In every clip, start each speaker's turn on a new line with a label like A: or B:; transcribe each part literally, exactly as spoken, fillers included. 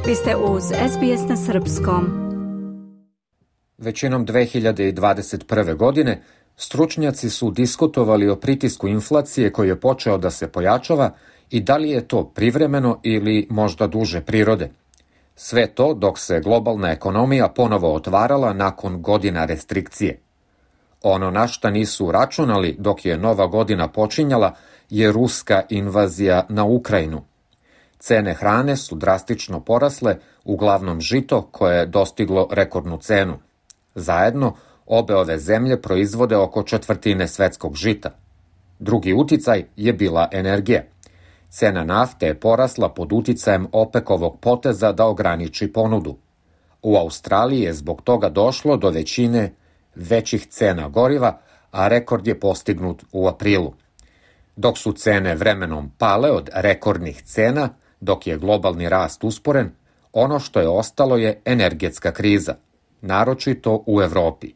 A: Vi ste uz S B S na srpskom.
B: Većinom dve hiljade dvadeset prve. godine stručnjaci su diskutovali o pritisku inflacije koji je počeo da se pojačava i da li je to privremeno ili možda duže prirode. Sve to dok se globalna ekonomija ponovo otvarala nakon godina restrikcije. Ono na šta nisu računali dok je nova godina počinjala je ruska invazija na Ukrajinu. Cene hrane su drastično porasle, uglavnom žito koje je dostiglo rekordnu cenu. Zajedno, obe ove zemlje proizvode oko četvrtine svetskog žita. Drugi uticaj je bila energija. Cena nafte je porasla pod uticajem OPEC-ovog poteza da ograniči ponudu. U Australiji je zbog toga došlo do većine većih cena goriva, a rekord je postignut u aprilu. Dok su cene vremenom pale od rekordnih cena, dok je globalni rast usporen, ono što je ostalo je energetska kriza, naročito u Evropi.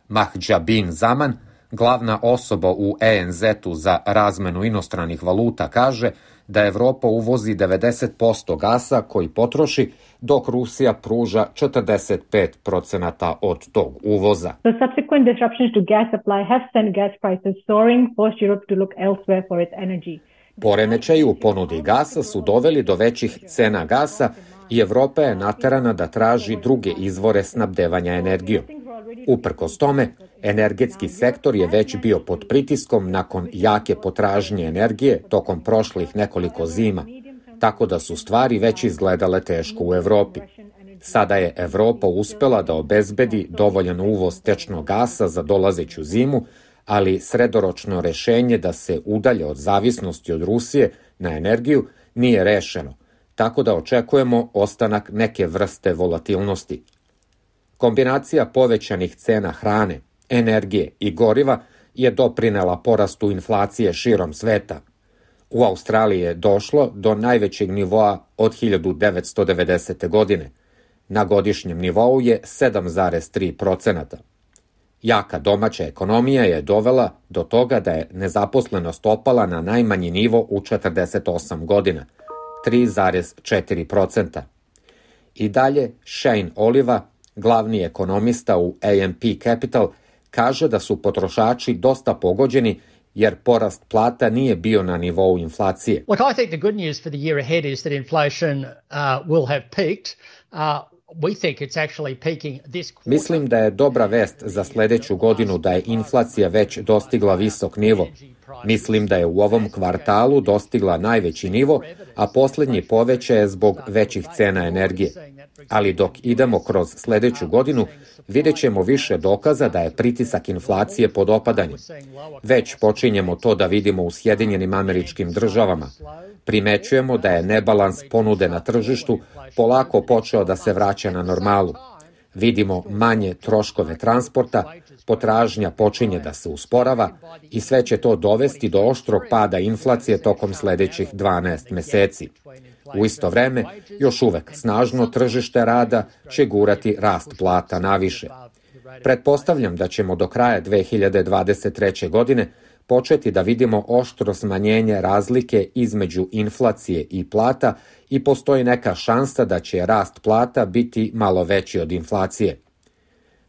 B: Mahjabin Zaman, glavna osoba u E N Z-u za razmenu inostranih valuta, kaže da Evropa uvozi devedeset posto gasa koji potroši, dok Rusija pruža četrdeset pet procenata od tog uvoza.
C: The subsequent disruptions to gas supply have sent gas prices soaring, forced Europe to look elsewhere for its energy.
B: Poremećaji u ponudi gasa su doveli do većih cena gasa i Evropa je naterana da traži druge izvore snabdevanja energijom. Uprkos tome, energetski sektor je već bio pod pritiskom nakon jake potražnje energije tokom prošlih nekoliko zima, tako da su stvari već izgledale teško u Evropi. Sada je Evropa uspela da obezbedi dovoljan uvoz tečnog gasa za dolazeću zimu, ali sredoročno rešenje da se udalje od zavisnosti od Rusije na energiju nije rešeno, tako da očekujemo ostanak neke vrste volatilnosti. Kombinacija povećanih cena hrane, energije i goriva je doprinela porastu inflacije širom sveta. U Australiji je došlo do najvećeg nivoa od hiljadu devetsto devedesete. godine. Na godišnjem nivou je sedam zarez tri procenata. Jaka domaća ekonomija je dovela do toga da je nezaposlenost opala na najmanji nivo u četrdeset osam godina, tri zarez četiri procenta. I dalje Shane Oliva, glavni ekonomista u A M P Capital, kaže da su potrošači dosta pogođeni jer porast plata nije bio na nivou inflacije.
D: Look, I think the good news for the year ahead is that inflation uh, will have peaked. Uh, we think it's actually peaking this quarter.
B: Mislim da je dobra vest za sledeću godinu da je inflacija već dostigla visok nivo. Mislim da je u ovom kvartalu dostigla najveći nivo, a poslednji povećaj je zbog većih cena energije. Ali dok idemo kroz sledeću godinu, vidjet ćemo više dokaza da je pritisak inflacije pod opadanjem. Već počinjemo to da vidimo u Sjedinjenim Američkim Državama. Primećujemo da je nebalans ponude na tržištu polako počeo da se vraća na normalu. Vidimo manje troškove transporta, potražnja počinje da se usporava i sve će to dovesti do oštrog pada inflacije tokom sledećih dvanaest meseci. U isto vreme, još uvek snažno tržište rada će gurati rast plata naviše. Pretpostavljam da ćemo do kraja dve hiljade dvadeset treće. godine početi da vidimo oštro smanjenje razlike između inflacije i plata i postoji neka šansa da će rast plata biti malo veći od inflacije.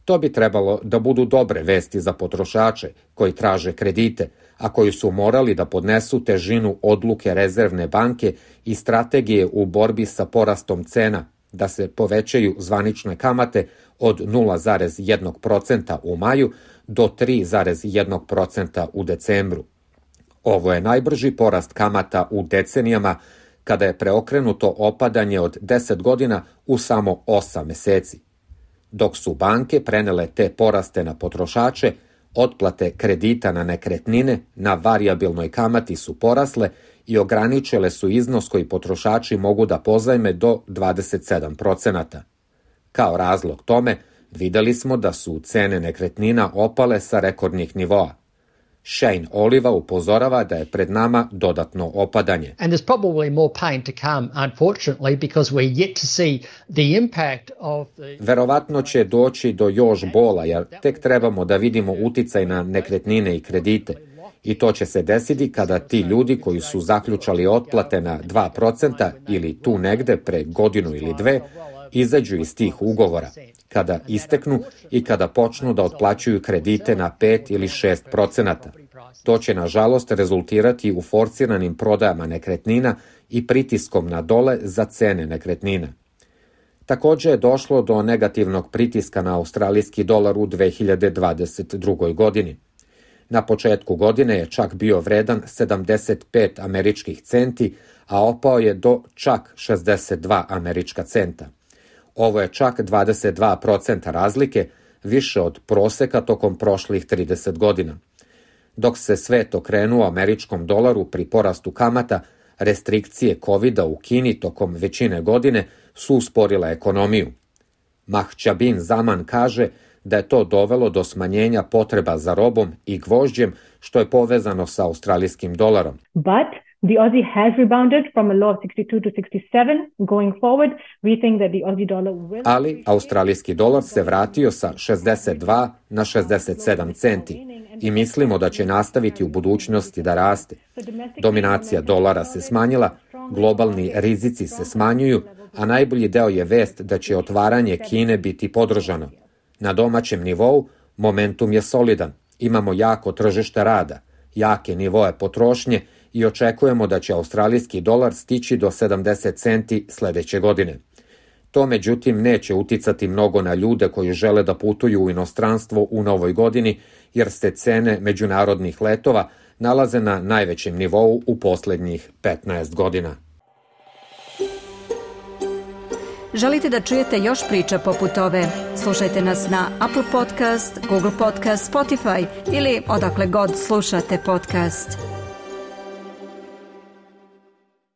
B: To bi trebalo da budu dobre vesti za potrošače koji traže kredite, a koji su morali da podnesu težinu odluke Rezervne banke i strategije u borbi sa porastom cena, da se povećaju zvanične kamate od nula zarez jedan procenta u maju do tri zarez jedan procenta u decembru. Ovo je najbrži porast kamata u decenijama, kada je preokrenuto opadanje od deset godina u samo osam meseci. Dok su banke prenele te poraste na potrošače, otplate kredita na nekretnine na varijabilnoj kamati su porasle i ograničile su iznos koji potrošači mogu da pozajme do dvadeset sedam procenata. Kao razlog tome, videli smo da su cene nekretnina opale sa rekordnih nivoa. Shane Oliva upozorava da je pred nama dodatno opadanje.
D: And there's probably more pain to come, unfortunately, because we're yet to see the impact of the...
B: Verovatno će doći do još bola, jer tek trebamo da vidimo uticaj na nekretnine i kredite. I to će se desiti kada ti ljudi koji su zaključali otplate na dva procenta ili tu negde pre godinu ili dve, izađu iz tih ugovora, kada isteknu i kada počnu da otplaćuju kredite na pet ili šest procenata. To će, nažalost, rezultirati u forsiranim prodajama nekretnina i pritiskom na dole za cene nekretnina. Također je došlo do negativnog pritiska na australijski dolar u dve hiljade dvadeset drugoj. godini. Na početku godine je čak bio vredan sedamdeset pet američkih centi, a opao je do čak šezdeset dva američka centa. Ovo je čak dvadeset dva procenta razlike, više od proseka tokom prošlih trideset godina. Dok se svet okrenuo američkom dolaru pri porastu kamata, restrikcije kovida u Kini tokom većine godine su usporile ekonomiju. Mahčabin Zaman kaže da je to dovelo do smanjenja potreba za robom i gvožđem, što je povezano sa australijskim dolarom.
C: But the Aussie has rebounded from a low of sixty-two to sixty-seven. Going forward, we think that the Aussie dollar will...
B: Ali australijski dolar se vratio sa šezdeset dva na šezdeset sedam centi i mislimo da će nastaviti u budućnosti da raste. Dominacija dolara se smanjila, globalni rizici se smanjuju, a najbolji deo je vest da će otvaranje Kine biti podržano. Na domaćem nivou momentum je solidan, imamo jako tržište rada, jake nivoe potrošnje i očekujemo da će australijski dolar stići do sedamdeset centi sledeće godine. To međutim neće uticati mnogo na ljude koji žele da putuju u inostranstvo u novoj godini, jer se cene međunarodnih letova nalaze na najvećem nivou u poslednjih petnaest godina.
A: Želite da čujete još priča poput ove? Slušajte nas na Apple Podcast, Google Podcast, Spotify ili odakle god slušate podcast.